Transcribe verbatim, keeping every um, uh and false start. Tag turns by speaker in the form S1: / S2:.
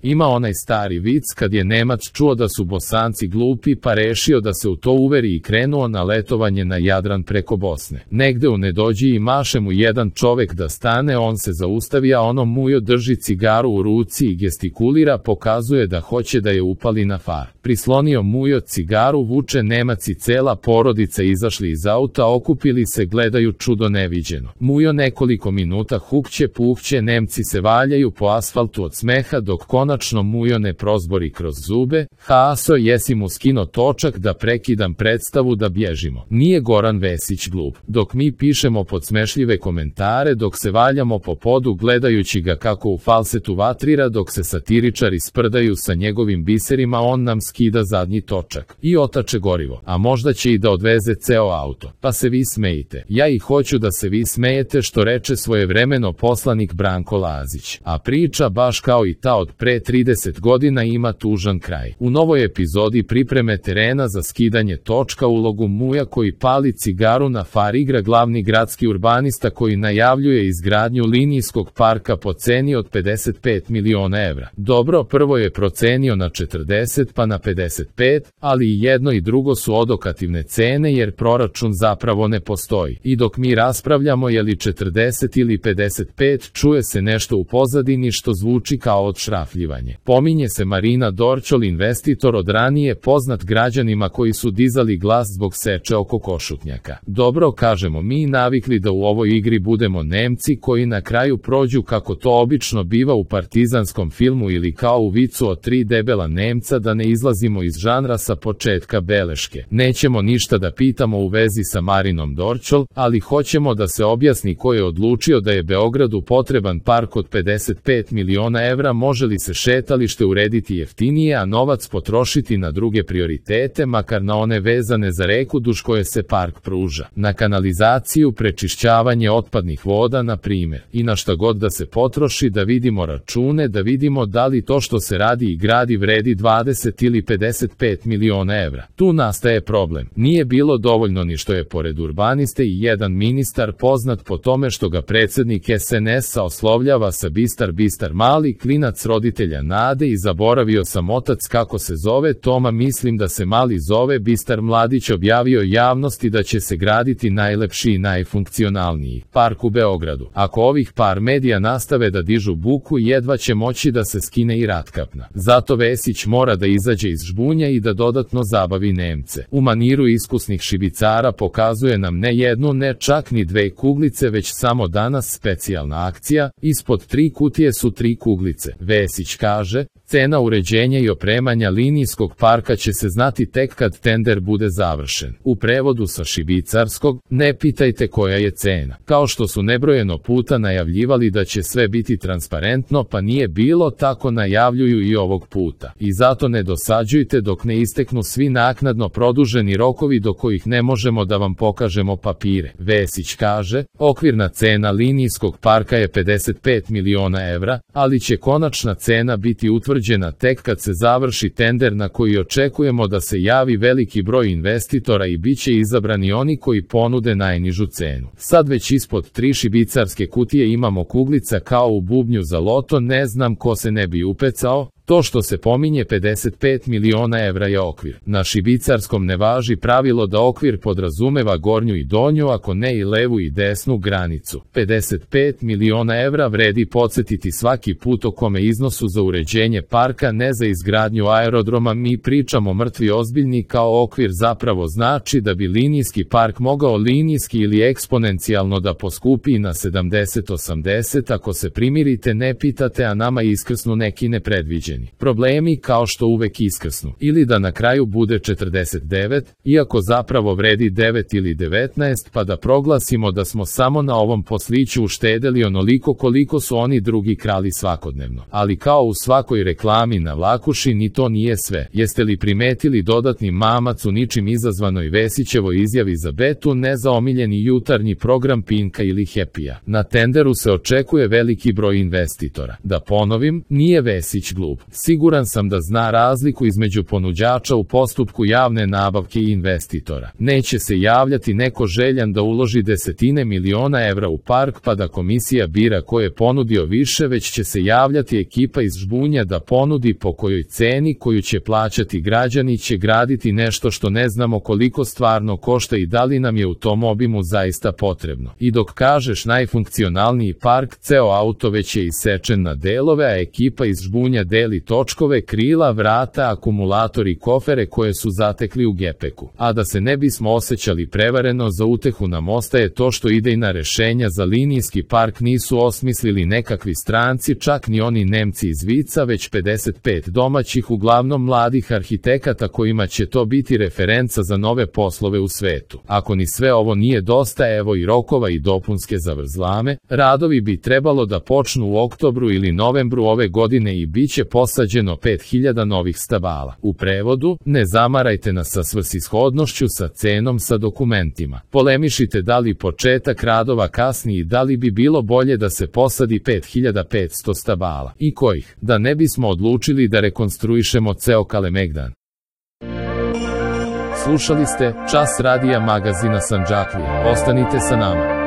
S1: Ima onaj stari vic kad je Nemac čuo da su Bosanci glupi pa rešio da se u to uveri i krenuo na letovanje na Jadran preko Bosne. Negde u nedođi i maše mu jedan čovek da stane, on se zaustavi, a ono mujo drži cigaru u ruci i gestikulira, pokazuje da hoće da je upali na far. Prislonio mujo cigaru, vuče Nemac i cela porodica izašli iz auta, okupili se, gledaju čudo neviđeno. Mujo nekoliko minuta hukće puhće, Nemci se valjaju po asfaltu od smeha dok konačno mujo ne prozbori kroz zube: "Haso, jesi mu skino točak da prekidam predstavu da bježimo?" Nije Goran Vesić glup. Dok mi pišemo podsmešljive komentare, dok se valjamo po podu gledajući ga kako u falsetu vatrira, dok se satiričari sprdaju sa njegovim biserima, on nam skida zadnji točak i otače gorivo, a možda će i da odveze ceo auto. Pa se vi smejite. Ja i hoću da se vi smejete, što reče svojevremeno poslanik Branko Lazić. A priča, baš kao i ta od pre trideset godina, ima tužan kraj. U novoj epizodi pripreme terena za skidanje točka ulogu muja koji pali cigaru na far igra glavni gradski urbanista koji najavljuje izgradnju linijskog parka po ceni od pedeset pet miliona evra. Dobro, prvo je procenio na četrdeset pa na pedeset pet, ali i jedno i drugo su odokativne cene jer proračun zapravo ne postoji. I dok mi raspravljamo je li četrdeset ili pedeset pet, čuje se nešto u pozadini što zvuči kao odšrafljivanje. Pominje se Marina Dorćol, investitor od ranije poznat građanima koji su dizali glas zbog seče oko Košutnjaka. Dobro, kažemo mi, navikli da u ovoj igri budemo Nemci koji na kraju prođu kako to obično biva u partizanskom filmu ili kao u vicu od tri debela Nemca, da ne izlazimo iz žanra sa početka beleške. Nećemo ništa da pitamo u vezi sa Marinom Dorćol, ali hoćemo da se objasni ko je odlučio da je Beogradu potreban park od pedeset pet miliona evra, može li se šetalište urediti jeftinije, a novac potrošiti na druge prioritete, makar na one vezane za reku duž koje se park pruža, na kanalizaciju, prečišćavanje otpadnih voda, na primjer, i na šta god da se potroši, da vidimo račune, da vidimo da li to što se radi i gradi vredi dvadeset ili pedeset pet miliona evra. Tu nastaje problem. Nije bilo dovoljno ni što je pored urbaniste i jedan ministar poznat po tome što ga predsjednik es en es-a oslovljava sa Bistar Bistar, mali klinac roditelja Nade, i zaboravio sam otac kako se zove Toma, mislim da se mali zove Bistar. Mladić objavio javnosti da će se graditi najlepši i najfunkcionalniji park u Beogradu. Ako ovih par medija nastave da dižu buku, jedva će moći da se skine i ratkapna. Zato Vesić mora da izađe iz žbunja i da dodatno zabavi Nemce. U maniru iskusnih šibicara pokazuje nam ne jednu, ne čak ni dve kuglice, već samo danas specijalna akcija, ispod tri kutije su tri kuglice. Vesić kaže: "Cena uređenja i opremanja linijskog parka će se znati tek kad tender bude završen." U prevodu sa šibicarskog: "Ne pitajte koja je cena." Kao što su nebrojeno puta najavljivali da će sve biti transparentno, pa nije bilo tako, najavljuju i ovog puta. I zato ne dosađujte dok ne isteknu svi naknadno produženi rokovi do kojih ne možemo da vam pokažemo papire. Vesić kaže: "Okvirna cena linijskog parka je pedeset pet miliona evra, ali će konačna cena biti utvrđena tek kad se završi tender na koji očekujemo da se javi veliki broj investitora i bit će izabrani oni koji ponude najnižu cenu." Sad već ispod tri šibicarske kutije imamo kuglica kao u bubnju za loto, ne znam ko se ne bi upecao. To što se pominje pedeset pet miliona evra je okvir. Na šibicarskom ne važi pravilo da okvir podrazumeva gornju i donju, ako ne i levu i desnu granicu. pedeset pet miliona evra vredi podsjetiti svaki put o kome iznosu za uređenje parka, ne za izgradnju aerodroma. Mi pričamo mrtvi ozbiljni, kao okvir zapravo znači da bi linijski park mogao linijski ili eksponencijalno da poskupi na sedamdeset osamdeset ako se primirite, ne pitate, a nama iskrsnu neki nepredviđeni problemi, kao što uvek iskrsnu, ili da na kraju bude četrdeset devet, iako zapravo vredi devet ili devetnaest, pa da proglasimo da smo samo na ovom posliću uštedeli onoliko koliko su oni drugi krali svakodnevno. Ali kao u svakoj reklami na Vlakuši, ni to nije sve. Jeste li primetili dodatni mamac u ničim izazvanoj Vesićevoj izjavi za Betu, ne za omiljeni jutarnji program Pinka ili Happy-a? Na tenderu se očekuje veliki broj investitora. Da ponovim, nije Vesić glup. Siguran sam da zna razliku između ponuđača u postupku javne nabavke i investitora. Neće se javljati neko željan da uloži desetine miliona evra u park pa da komisija bira ko je ponudio više, već će se javljati ekipa iz žbunja da ponudi po kojoj ceni koju će plaćati građani, će graditi nešto što ne znamo koliko stvarno košta i da li nam je u tom obimu zaista potrebno. I dok kažeš najfunkcionalniji park, ceo auto već je isečen na delove, a ekipa iz žbunja deli točkove, krila, vrata, akumulator i kofere koje su zatekli u gepeku. A da se ne bismo osjećali prevareno, za utehu nam ostaje to što idejna rešenja za linijski park nisu osmislili nekakvi stranci, čak ni oni Nemci iz Vica, već pedeset pet domaćih, uglavnom mladih arhitekata kojima će to biti referenca za nove poslove u svetu. Ako ni sve ovo nije dosta, evo i rokova i dopunske zavrzlame, radovi bi trebalo da počnu u oktobru ili novembru ove godine i bit će posađeno pet hiljada novih stabala. U prevodu, ne zamarajte nas sa svrsishodnošću, sa cenom, sa dokumentima. Polemišite da li početak radova kasni i da li bi bilo bolje da se posadi pet hiljada petsto stabala. I kojih, da ne bismo odlučili da rekonstruišemo ceo Kalemegdan. Slušali ste Čas radija magazina Sandžaklija. Ostanite sa nama.